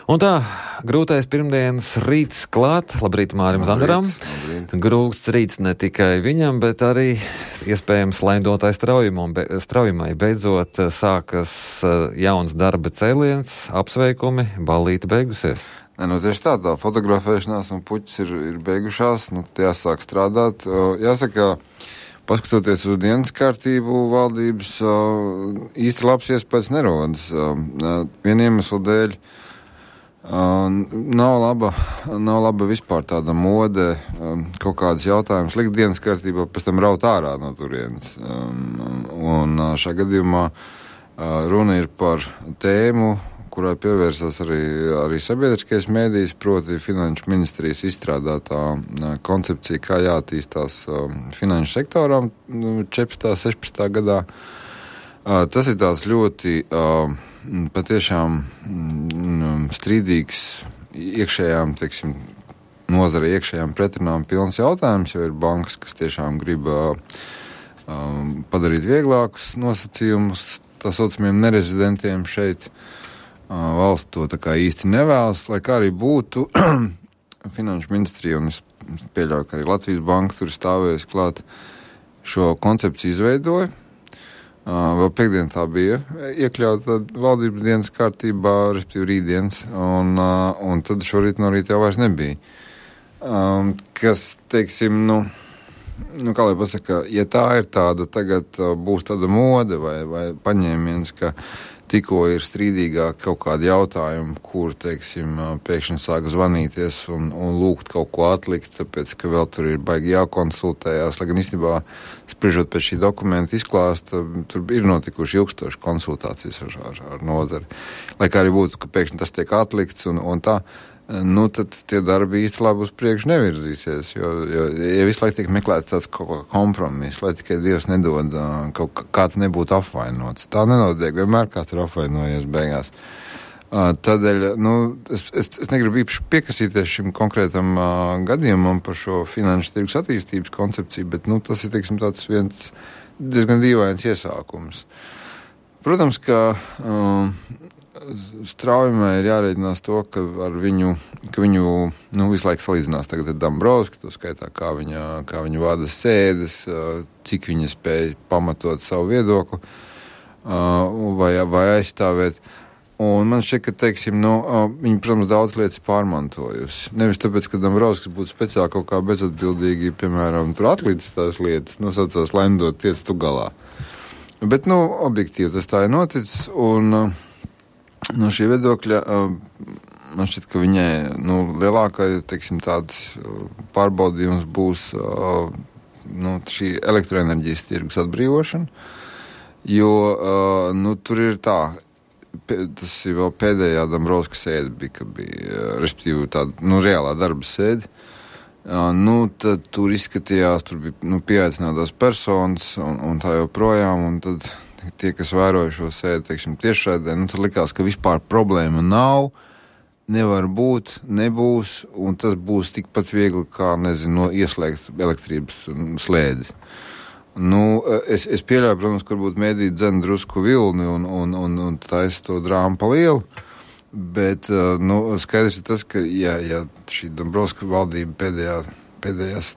Un tā, grūtais pirmdienas rīts klāt. Labrīt Mārim Zanderam. Grūts rīts ne tikai viņam, bet arī iespējams laidotai straujumai. Beidzot sākas jauns darba cēliens, apsveikumi, ballīte beigusies. Nu, tieši tā fotografēšanās un puķis ir beigušās, jāsāk strādāt. Jāsaka, paskatoties uz dienas kārtību, valdības īsti labs iespējas nerodas. Viena iemesla dēļ nav laba vispār tāda mode, kaut kādas jautājumas likt dienas kārtībā, pēc tam raut ārā no turienes. Un šajā gadījumā runa ir par tēmu, kurai pievērsās arī sabiedriskais mēdījis, proti Finanšu ministrijas izstrādātā koncepcija, kā jāattīstās finanšu sektoram 14. 16. gadā. Tas ir tāds ļoti patiešām strīdīgs iekšējām, nozara iekšējām pretrunām pilns jautājums, jo ir bankas, kas tiešām grib padarīt vieglākus nosacījumus tā saucamiem nerezidentiem šeit. Valsts to tā kā īsti nevēlas, lai kā arī būtu Finanšu ministrija, un es pieļauju, ka arī Latvijas banka tur stāvējusi klāt, šo koncepciju izveidoja. Vēl piekdien tā bija iekļauta valdības dienas kārtībā, respektīvi rītdienas, un tad šorīt no rīta jau vairs nebija. Kas, kā lai pasaka, ja tā ir tāda, tagad būs tāda mode vai paņēmiens, ka tikko ir strīdīgāk kaut kādi jautājumi, kur, pēkšņi sāk zvanīties un lūgt kaut ko atlikt, tāpēc, ka vēl tur ir baigi jākonsultējās, lai gan īstenībā, spriežot pēc šī dokumenta izklāsta, tur ir notikuši ilgstoši konsultācijas ar nozari. Lai kā arī būtu, ka pēkšņi tas tiek atlikts un tā, tad tie darbi īsti labi uz priekšu nevirzīsies, jo ja visu laiku tiek meklēts tāds kompromiss, lai tikai Dievs nedod, kāds nebūtu apvainots. Tā nenotiek, vienmēr kāds ir apvainojies beigās. Tādēļ, es negribu īpaši piekasīties šim konkrētam gadījumam par šo finanšu tirgus attīstības koncepciju, bet, tas ir, tāds viens diezgan dīvains iesākums. Protams, ka straujumai ir jārēķinās to, ka viņu visu laiku salīdzinās tagad ar Dombrovski, to skaitā, kā viņa vada sēdes, cik viņa spēja pamatot savu viedokli vai aizstāvēt. Un man šķiet, ka, viņa, protams, daudz lietas pārmantojusi. Nevis tāpēc, ka Dombrovskis būtu speciāli kaut kā bezatbildīgi, piemēram, tur atlīdz tās lietas, nosaucās lendot tiec tu galā. Bet, objektīvi tas tā ir noticis, un no šī viedokļa man šķiet, ka viņai lielākai, tāds pārbaudījums būs šī elektroenerģijas tirgus atbrīvošana, jo tur ir tā, tas ir vēl pēdējā Dombrovska sēde bija, ka bija, respektīvi tāda, reālā darba sēde, tad tur izskatījās, tur bija, pieaicinātās personas un tā joprojām, un tad tie, kas vēroja šo sēdi, tiešraidē, tad likās, ka vispār problēma nav, nevar būt, nebūs, un tas būs tikpat viegli, kā, ieslēgt elektrības slēdzi. Es pieļauju, protams, ka varbūt mēdī dzen drusku vilni un taisa to drāmu pa lielu, bet, skaidrs ir tas, ka, ja šī Dombrovska valdība pēdējās,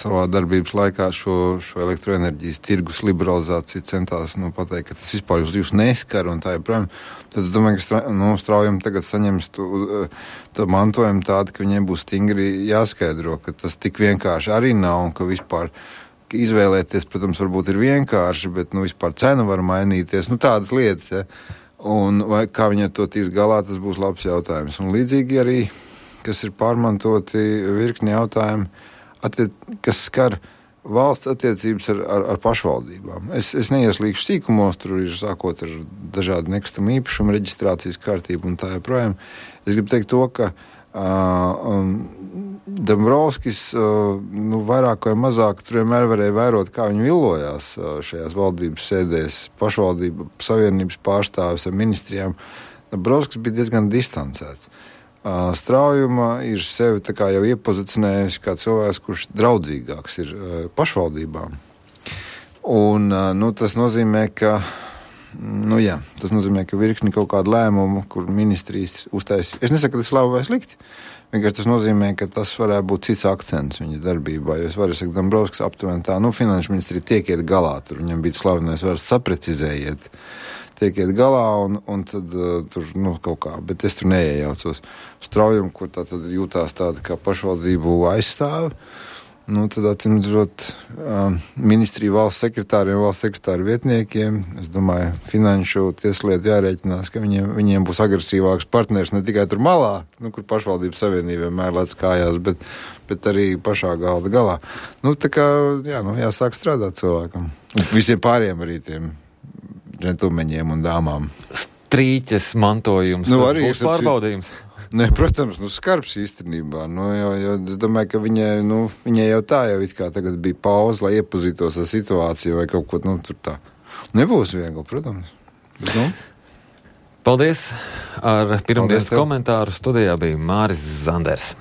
savā darbības laikā šo elektroenerģijas tirgus liberalizāciju centās, pateikt, ka tas vispār jūs neskar un tā joprojām, tad domāju, ka straujumi tagad saņems to mantojumu tādu, ka viņiem būs stingri jāskaidro, ka tas tik vienkārši arī nav un ka vispār izvēlēties, protams, varbūt ir vienkārši, bet, vispār cena var mainīties, tādas lietas, ja. Un vai kā viņi ar to tiks galā, tas būs labs jautājums. Un līdzīgi arī, kas ir pārmantoti virkni jautājumi, kas skar valsts attiecības ar pašvaldībām. Es neieslīgšu sīkumos, tur ir sākot ar dažādu nekustamo īpašumu reģistrācijas kārtību un tā joprojām. Es gribu teikt to, ka Dombrovskis vairāk vai mazāk tur vienmēr varēja vērot, kā viņi villojās šajās valdības sēdēs, pašvaldību savienības pārstāvis ar ministrijām. Dombrovskis bija diezgan distancēts. Straujuma ir sevi tā kā jau iepozicionējusi kā cilvēks, kurš draudzīgāks ir pašvaldībām. Un tas nozīmē, ka nu jā, tas nozīmē, ka virkni kaut kādu lēmumu, kur ministrijas uztaisīja. Es nesaku, ka tas labi vai slikti. Vienkārši tas nozīmē, ka tas varētu būt cits akcents viņa darbībā. Jo es varu sakot, Dombrovskis aptuveni tā, finanšu ministrija tiek iet galā. Tur viņam bija slavenais vairs saprecizējiet. Tiek iet galā un tad tur, kaut kā. Bet es tur neiejaucos. Straujumi, kur tā tad jūtās tāda kā pašvaldību aizstāvi. Tad atcīmredzot ministriju valsts sekretāriem, valsts sekretāru vietniekiem, es domāju, finanšu tieslietu jārēķinās, ka viņiem būs agresīvāks partners ne tikai tur malā, kur pašvaldības savienība vienmēr lec kājās, bet arī pašā galda galā. Tā kā, jāsāk strādāt cilvēkam. Visiem pāriem arī tiem džentlmeņiem un dāmām. Strīķes mantojums, tas būs pārbaudījums. Nē, protams, skarbs īstenībā. Jo es domāju, ka viņai jau tā jau it kā tagad bija pauze, lai iepazītos ar situāciju vai kaut ko tur tā. Nebūs viegli, protams. Bet, Paldies! Ar pirmdienas komentāru studijā bija Māris Zanders.